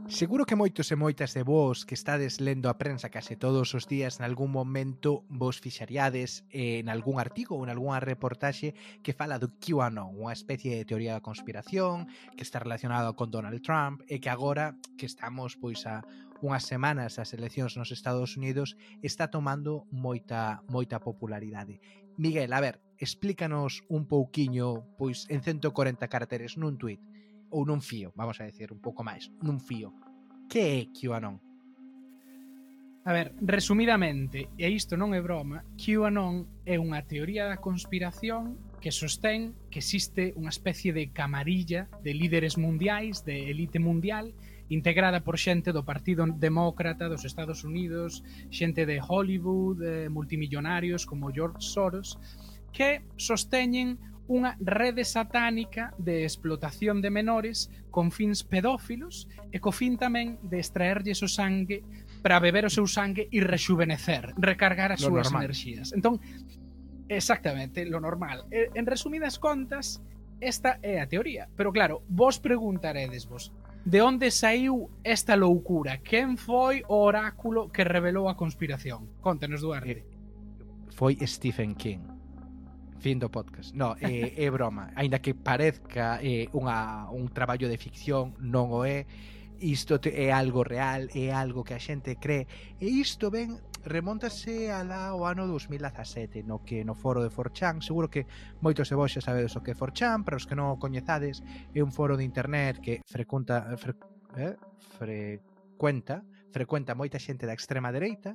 Seguro que moitos e moitas de vós que estades lendo a prensa case todos os días nalgún momento vos fixaríades en algún artigo ou en algunha reportaxe que fala do QAnon, unha especie de teoría da conspiración que está relacionada con Donald Trump e que agora que estamos pois a unhas semanas das eleccións nos Estados Unidos está tomando moita popularidade. Miguel, a ver, explícanos un pouquiño pois en 140 caracteres nun tuit ou nun fío, vamos a decir un pouco máis, nun fío. Que é QAnon? A ver, resumidamente, e isto non é broma, QAnon é unha teoría da conspiración que sostén que existe unha especie de camarilla de líderes mundiais, de elite mundial, integrada por xente do Partido Demócrata dos Estados Unidos, xente de Hollywood, multimillonarios como George Soros, que sosteñen unha rede satánica de explotación de menores con fins pedófilos e co fin tamén de extraerlles o sangue para beber o seu sangue e rexuvenecer, recargar as súas enerxías. Entón, exactamente, lo normal. En resumidas contas, esta é a teoría. Pero claro, vos preguntaredesvos, de onde saiu esta loucura? Quen foi o oráculo que revelou a conspiración? Contanos, Duarte. Foi Stephen King. Fin do podcast. No, é broma. Aínda que parezca un traballo de ficción, non o é. Isto é algo real, é algo que a xente cree. E isto remóntase ao ano 2017, no que no foro de 4chan, seguro que moitos de vos xa sabedes o que é 4chan, para os que non o coñezades, é un foro de internet que frecuenta moita xente da extrema dereita,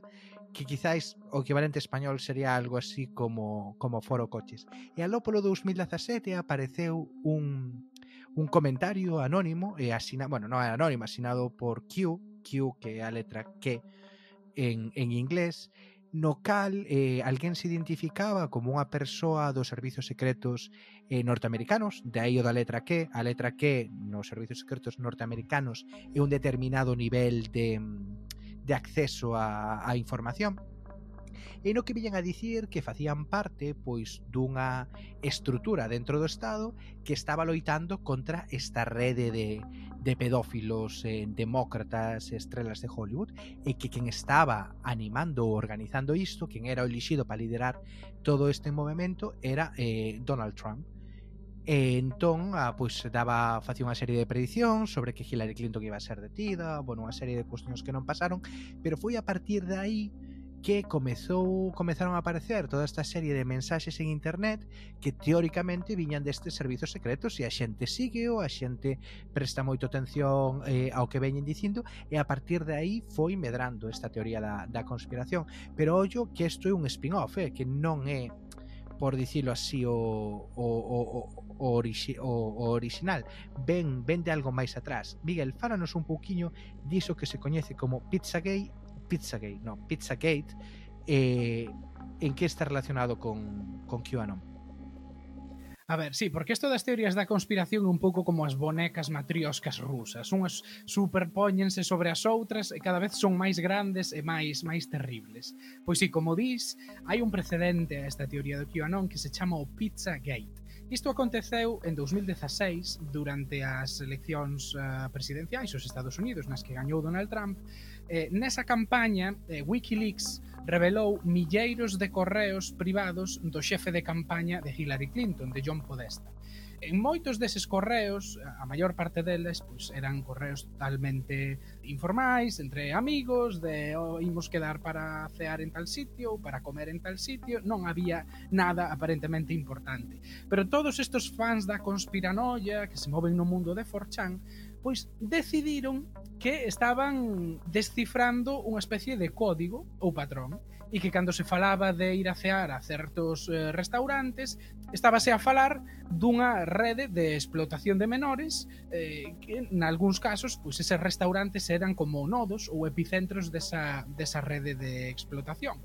que quizáis o equivalente español sería algo así como Foro Coches. E aló polo 2017 apareceu un comentario anónimo e non é anónimo, asinado por Q, que é a letra Q en inglés, no cal alguén se identificaba como unha persoa dos servizos secretos norteamericanos, de aí o da letra Q. A letra Q nos servizos secretos norteamericanos é un determinado nivel de acceso a información, e no que viñan a dicir que facían parte pois dunha estrutura dentro do Estado que estaba loitando contra esta rede de pedófilos, demócratas, estrelas de Hollywood, e que quen estaba animando ou organizando isto, quen era o elixido para liderar todo este movimento, era Donald Trump. E entón, facía unha serie de predicións sobre que Hillary Clinton iba a ser detida, unha serie de cuestións que non pasaron, pero foi a partir de aí que comezaron a aparecer toda esta serie de mensaxes en internet que teóricamente viñan destes servizos secretos, e a xente sígueo, a xente presta moito atención ao que veñen dicindo, e a partir de aí foi medrando esta teoría da conspiración. Pero ollo que isto é un spin-off, que non é, por dicilo así, o original, ven de algo máis atrás. Miguel, fálanos un pouquiño diso que se coñece como Pizzagate, en que está relacionado con QAnon. A ver, sí, porque isto das teorías da conspiración é un pouco como as bonecas matrioscas rusas. Unhas superpóñense sobre as outras e cada vez son máis grandes e máis terribles. Pois sí, como dis, hai un precedente a esta teoría do QAnon que se chama o Pizzagate. Isto aconteceu en 2016 durante as eleccións presidenciais dos Estados Unidos, nas que gañou Donald Trump. Nesa campaña, Wikileaks revelou milleiros de correos privados do xefe de campaña de Hillary Clinton, de John Podesta. En moitos deses correos, a maior parte deles, pois, eran correos totalmente informais, entre amigos, de imos quedar para cear en tal sitio, ou para comer en tal sitio, non había nada aparentemente importante. Pero todos estes fans da conspiranoia que se moven no mundo de 4chan, pois decidiron que estaban descifrando unha especie de código ou patrón, e que cando se falaba de ir a cear a certos restaurantes, estábase a falar dunha rede de explotación de menores, que nalgúns casos pois eses restaurantes eran como nodos ou epicentros desa rede de explotación.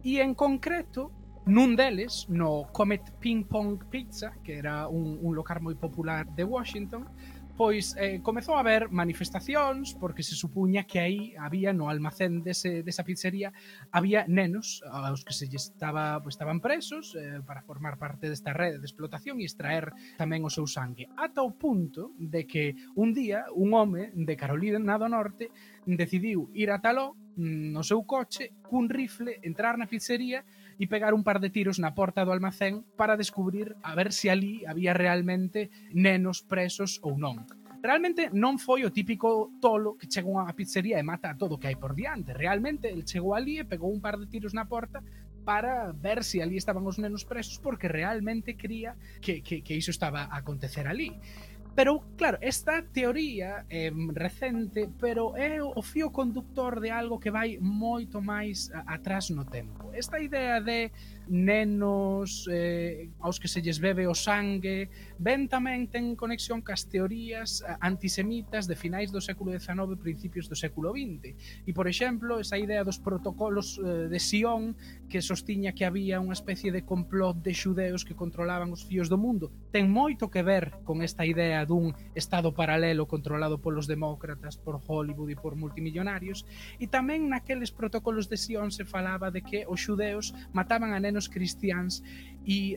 E en concreto, nun deles, no Comet Ping Pong Pizza, que era un local moi popular de Washington, pois comezou a haber manifestacións porque se supuña que aí había no almacén desa pizzería había nenos aos que estaban presos para formar parte desta rede de explotación e extraer tamén o seu sangue, ata o punto de que un día un home de Carolina do Norte decidiu ir a taló no seu coche cun rifle, entrar na pizzería e pegar un par de tiros na porta do almacén para descubrir a ver se ali había realmente nenos presos ou non. Realmente non foi o típico tolo que chega a unha pizzería e mata a todo o que hai por diante. Realmente el chegou ali e pegou un par de tiros na porta para ver se ali estaban os nenos presos porque realmente cría que iso estaba a acontecer ali. Pero, claro, esta teoría é recente, pero é o fío conductor de algo que vai moito máis atrás no tempo. Esta idea de nenos aos que se lles bebe o sangue ben tamén ten conexión cas teorías antisemitas de finais do século XIX e principios do século XX. E, por exemplo, esa idea dos protocolos de Sion que sostiña que había unha especie de complot de xudeos que controlaban os fíos do mundo ten moito que ver con esta idea dun estado paralelo controlado polos demócratas, por Hollywood e por multimillonarios, e tamén naqueles protocolos de Sion se falaba de que os xudeos mataban a nenos cristiáns e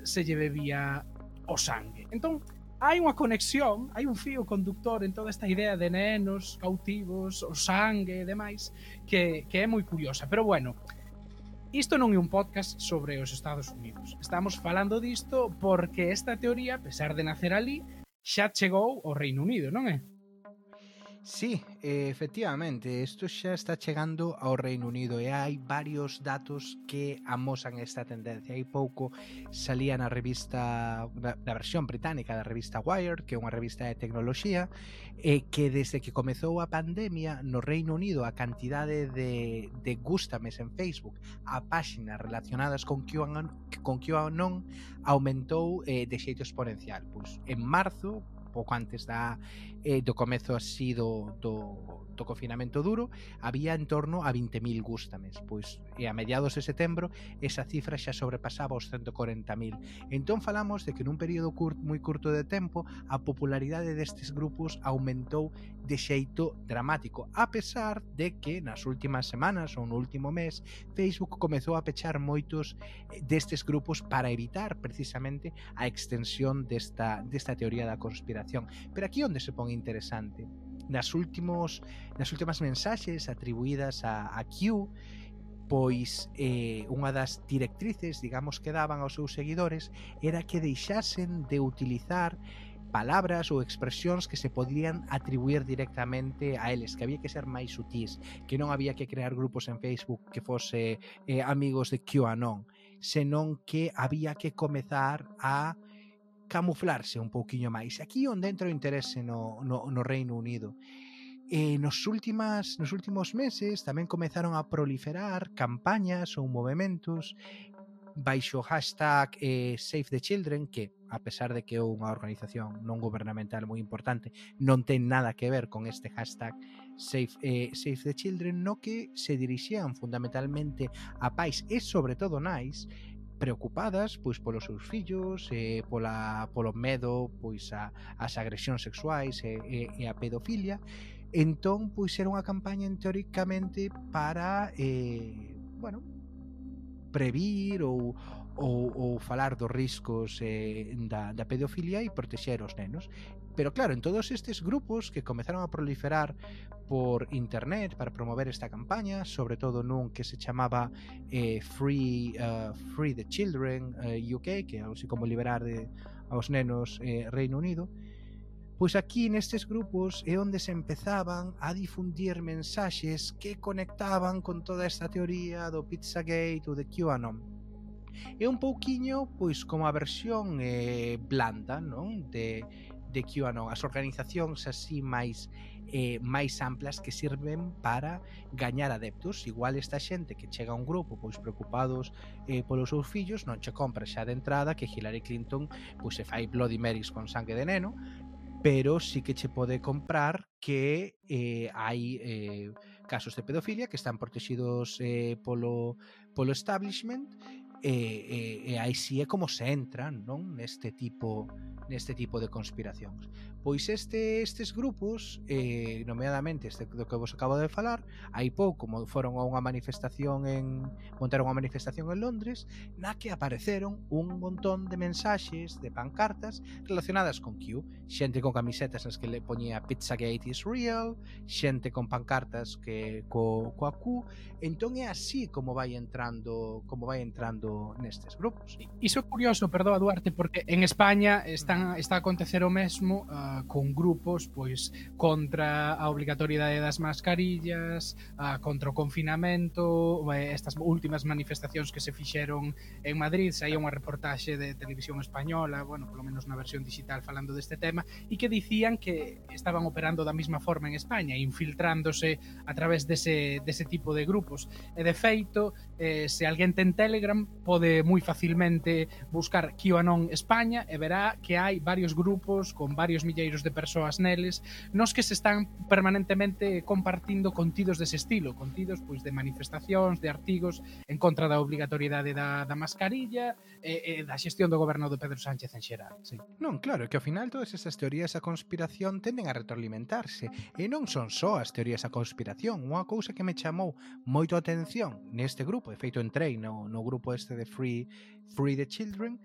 se lle bebía o sangue. Entón, hai unha conexión, hai un fío conductor en toda esta idea de nenos cautivos, o sangue e demais, que é moi curiosa. Pero bueno, isto non é un podcast sobre os Estados Unidos. Estamos falando disto porque esta teoría, a pesar de nacer ali, xa chegou ao Reino Unido, non é? Sí, efectivamente, isto xa está chegando ao Reino Unido e hai varios datos que amosan esta tendencia. Hai pouco salía na revista, na versión británica da revista Wired, que é unha revista de tecnoloxía, que desde que comezou a pandemia no Reino Unido a cantidade de gústames en Facebook a páxinas relacionadas con QAnon aumentou de xeito exponencial. Pois en marzo, pouco antes do comezo así do confinamento duro, había en torno a 20.000 gústames, pois e a mediados de setembro esa cifra xa sobrepasaba os 140.000. Entón falamos de que nun período moi curto de tempo a popularidade destes grupos aumentou de xeito dramático, a pesar de que nas últimas semanas ou no último mes Facebook comezou a pechar moitos destes grupos para evitar precisamente a extensión desta teoría da conspiración. Pero aquí onde se pon interesante, nas últimas mensaxes atribuídas a Q, pois unha das directrices, digamos, que daban aos seus seguidores era que deixasen de utilizar palabras ou expresións que se podían atribuir directamente a eles, que había que ser máis sutís, que non había que crear grupos en Facebook que fose amigos de QAnon, senón que había que comezar a camuflarse un pouquiño máis. Aquí onde entra o interese no Reino Unido. Nos últimos meses tamén comezaron a proliferar campañas ou movementos baixo o hashtag Save the Children, que, a pesar de que é unha organización non gubernamental moi importante, non ten nada que ver con este hashtag Save the Children, no que se dirixían fundamentalmente a pais e sobre todo nais preocupadas pois polos seus fillos, polo medo pois ás agresións sexuais e a pedofilia. Entón, pois era unha campaña teóricamente para previr ou falar dos riscos da pedofilia e protexer os nenos. Pero claro, en todos estes grupos que comezaron a proliferar por internet para promover esta campaña, sobre todo nun que se chamaba Free the Children UK, que é así como liberar aos nenos Reino Unido, pois aquí nestes grupos é onde se empezaban a difundir mensaxes que conectaban con toda esta teoría do Pizzagate ou de QAnon. É un pouquiño pois como a versión blanda, non? De QAnon, as organizacións así máis amplas que sirven para gañar adeptos. Igual esta xente que chega a un grupo pois preocupados polos seus fillos non che compra xa de entrada que Hillary Clinton pois se fai Bloody Marys con sangue de neno, pero sí que che pode comprar que hai casos de pedofilia que están protegidos polo establishment e aí si é como se entra, non, neste tipo de conspiracións. Pois estes grupos, nomeadamente este do que vos acabo de falar, hai pouco foron a unha manifestación montaron unha manifestación en Londres na que apareceron un montón de mensaxes, de pancartas relacionadas con Q, xente con camisetas nas que le poñía Pizzagate is real, xente con pancartas que coa Q. Entón é así como vai entrando nestes grupos. Iso é curioso, perdoa Duarte, porque en España está a acontecer o mesmo con grupos pois contra a obrigatoriedade das mascarillas, contra o confinamento, estas últimas manifestacións que se fixeron en Madrid, saía unha reportaxe de televisión española, bueno, polo menos na versión digital falando deste tema, e que dicían que estaban operando da mesma forma en España, infiltrándose a través dese tipo de grupos. E de feito, se alguén ten Telegram, pode moi facilmente buscar QAnon España e verá que hai varios grupos con varios milleiros de persoas neles nos que se están permanentemente compartindo contidos dese estilo, contidos pois de manifestacións, de artigos en contra da obrigatoriedade da mascarilla e da xestión do goberno de Pedro Sánchez en xeral. Sí. Non, claro, que ao final todas esas teorías da conspiración tenden a retroalimentarse e non son só as teorías da conspiración. Unha cousa que me chamou moito a atención neste grupo, de feito entrei no grupo este de Free the Children,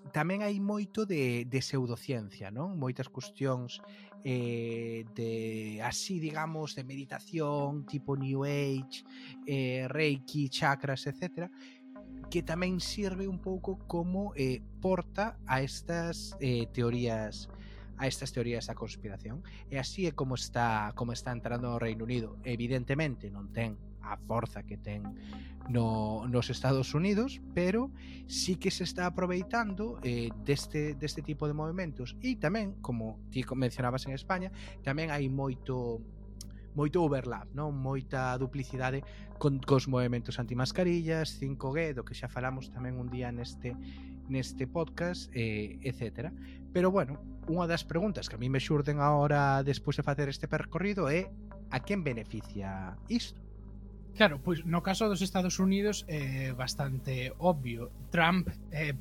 tamén hai moito de pseudociencia, non? Moitas cuestións de así, digamos, de meditación, tipo New Age, Reiki, chakras, etc., que tamén sirve un pouco como porta a estas teorías da conspiración. E así é como está entrando no Reino Unido. Evidentemente non ten a forza que ten nos Estados Unidos, pero sí que se está aproveitando deste tipo de movimentos. E tamén, como ti mencionabas en España, tamén hai moito overlap, non? Moita duplicidade cos movimentos antimascarillas, 5G, do que xa falamos tamén un día neste podcast, etc. Pero bueno, unha das preguntas que a mí me xurden agora despois de facer este percorrido é a quen beneficia isto? Claro, pois no caso dos Estados Unidos é bastante obvio. Trump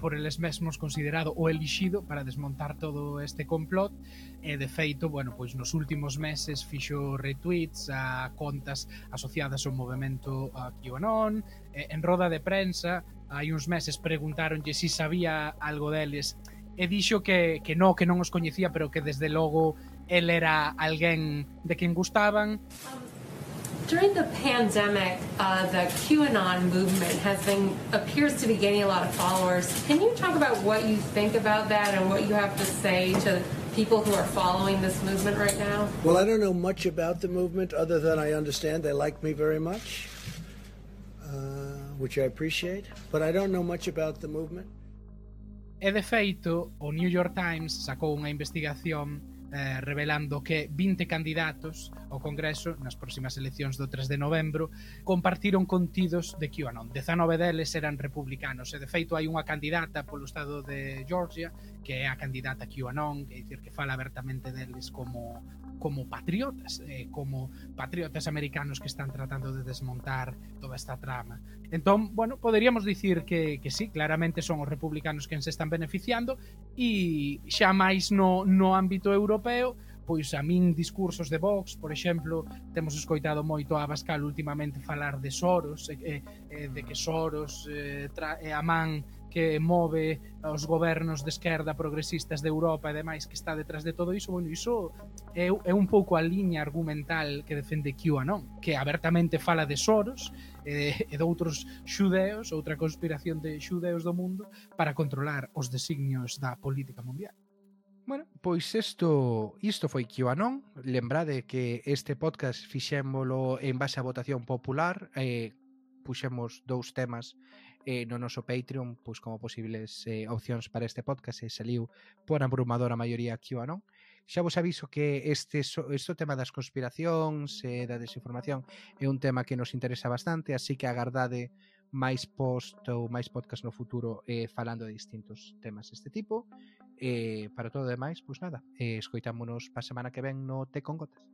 por eles mesmos considerado o elixido para desmontar todo este complot e de feito, bueno, pois nos últimos meses fixo retweets a contas asociadas ao movemento QAnon, en roda de prensa hai uns meses preguntáronlle se sabía algo deles e dixo que non os coñecía, pero que desde logo el era alguén de quen gustaban. During the pandemic, the QAnon movement appears to be gaining a lot of followers. Can you talk about what you think about that and what you have to say to people who are following this movement right now? Well, I don't know much about the movement other than I understand they like me very much, which I appreciate, but I don't know much about the movement. E de feito, o New York Times sacou unha investigación revelando que 20 candidatos ao Congreso nas próximas eleccións do 3 de novembro compartiron contidos de QAnon. 19 deles eran republicanos e de feito hai unha candidata polo estado de Georgia que é a candidata QAnon, que é dicir que fala abertamente deles como patriotas, como patriotas americanos que están tratando de desmontar toda esta trama. Entón, bueno, poderíamos dicir que sí, claramente son os republicanos quen se están beneficiando e xa máis no ámbito europeo, pois a min discursos de Vox, por exemplo, temos escoitado moito a Abascal últimamente falar de Soros, de que Soros é a man que move os gobernos de esquerda progresistas de Europa e demais que está detrás de todo iso. Bueno, iso é un pouco a liña argumental que defende QAnon, que abertamente fala de Soros e de outros xudeos, outra conspiración de xudeos do mundo para controlar os designios da política mundial. Bueno, pois isto foi QAnon. Lembrade que este podcast fixémolo en base a votación popular, puxemos 2 temas no noso Patreon pois como posibles opcións para este podcast e saliu por abrumadora maioría QAnon. Xa vos aviso que este tema das conspiracións e da desinformación é un tema que nos interesa bastante, así que agardade máis post ou máis podcast no futuro falando de distintos temas deste tipo. Para todo o demais, pois nada, escoitámonos pa semana que ven no Té con Gotas.